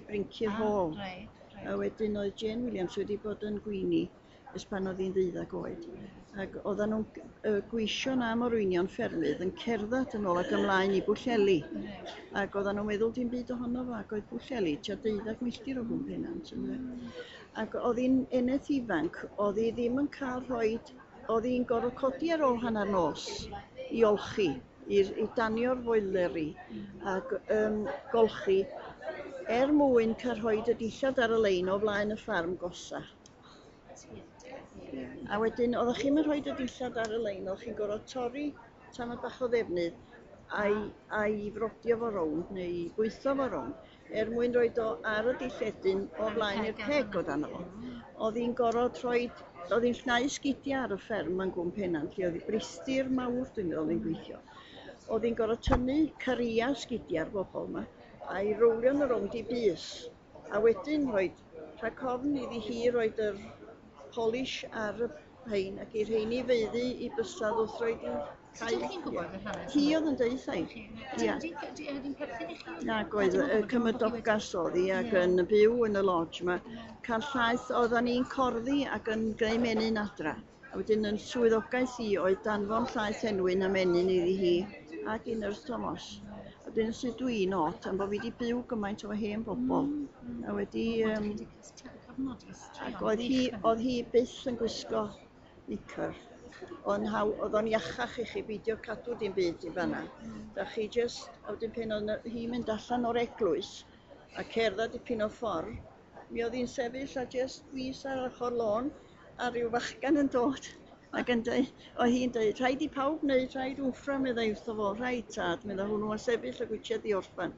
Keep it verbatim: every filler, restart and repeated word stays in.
Bryncir Ah, Hall. Reit, reit. A wedyn oedd Jane Williams wedi bod yn gwini ers pan oedd hi'n ddeuddag oed. Ac oedden nhw'n uh, gweision am orwynion ffermydd yn cerdded yn ôl ac ymlaen i Bwllheli. Reit. Ac oedden nhw'n meddwl dim byd ohono fo, ac oedd Pwllheli tua deuddag milltir o Gwm Pennant, ynde. Ac oedd hi'n eneth ifanc, oedd hi ddim yn cael rhoid, oedd hi'n gorfod codi ar ôl hanner nos i olchi, i, i danio'r foileri ac um, golchi er mwyn cael rhoid y dillad ar y lein o flaen y ffarm gosa. A wedyn oeddech chi'm yn rhoid y dillad ar y lein, oeddech chi'n gorfod torri tamad bach o ddefnydd a'i, a'i frodio fo rownd neu i bwytho fo rownd er mwyn roid o ar y dilledyn o flaen i'r peg o dano fo. Oedd hi'n gorfod rhoid, oedd hi'n llnau sgidiau ar y fferm yn Gwm Pennant, lle oedd hi bristir mawr dwi'n meddwl oedd hi'n gweithio. Oedd hi'n gorfod tynnu caria sgidiau'r bobl yma a'i rowlio nhw rownd i bys. A wedyn rhoid, rhag ofn iddi hi roid yr polish ar y rhein ac i'r rheini feiddi i bysedd wrth roid i Sut ydych chi'n gwybod yr hanes Hi yma? oedd yn deud i. Ie. Ydy'n perthyn i chi? Nag oedd y cymydogas oedd hi ac Ie. yn byw yn y lodge yma. Cael llaeth, oeddan ni'n corddi ac yn greu menyn adra. A wedyn yn swyddogaeth i oedd danfon llaeth enwyn a menyn iddi hi ac i Nyrs Thomas. A wedyn sut dwi'n od am bod fi wedi byw gymaint o hen bobl. A wedi... Um, ac oedd hi, oedd hi byth yn gwisgo knicker. Oedd haw, oedd o'n iachach i chi beidio cadw dim byd i fanna. Da chi just, a wedyn pan oedd hi'n mynd allan o'r eglwys a cerdded dipyn o ffordd, mi oedd hi'n sefyll a just bys ar ochr lôn a rhyw fachgan yn dod ac yn dweud, oedd hi'n dweud, rhaid i pawb wneud, rhaid wmffra, meddai wrtho fo, rhaid tad, meddai hwnnw, a sefyll a gwitsiad i orffan.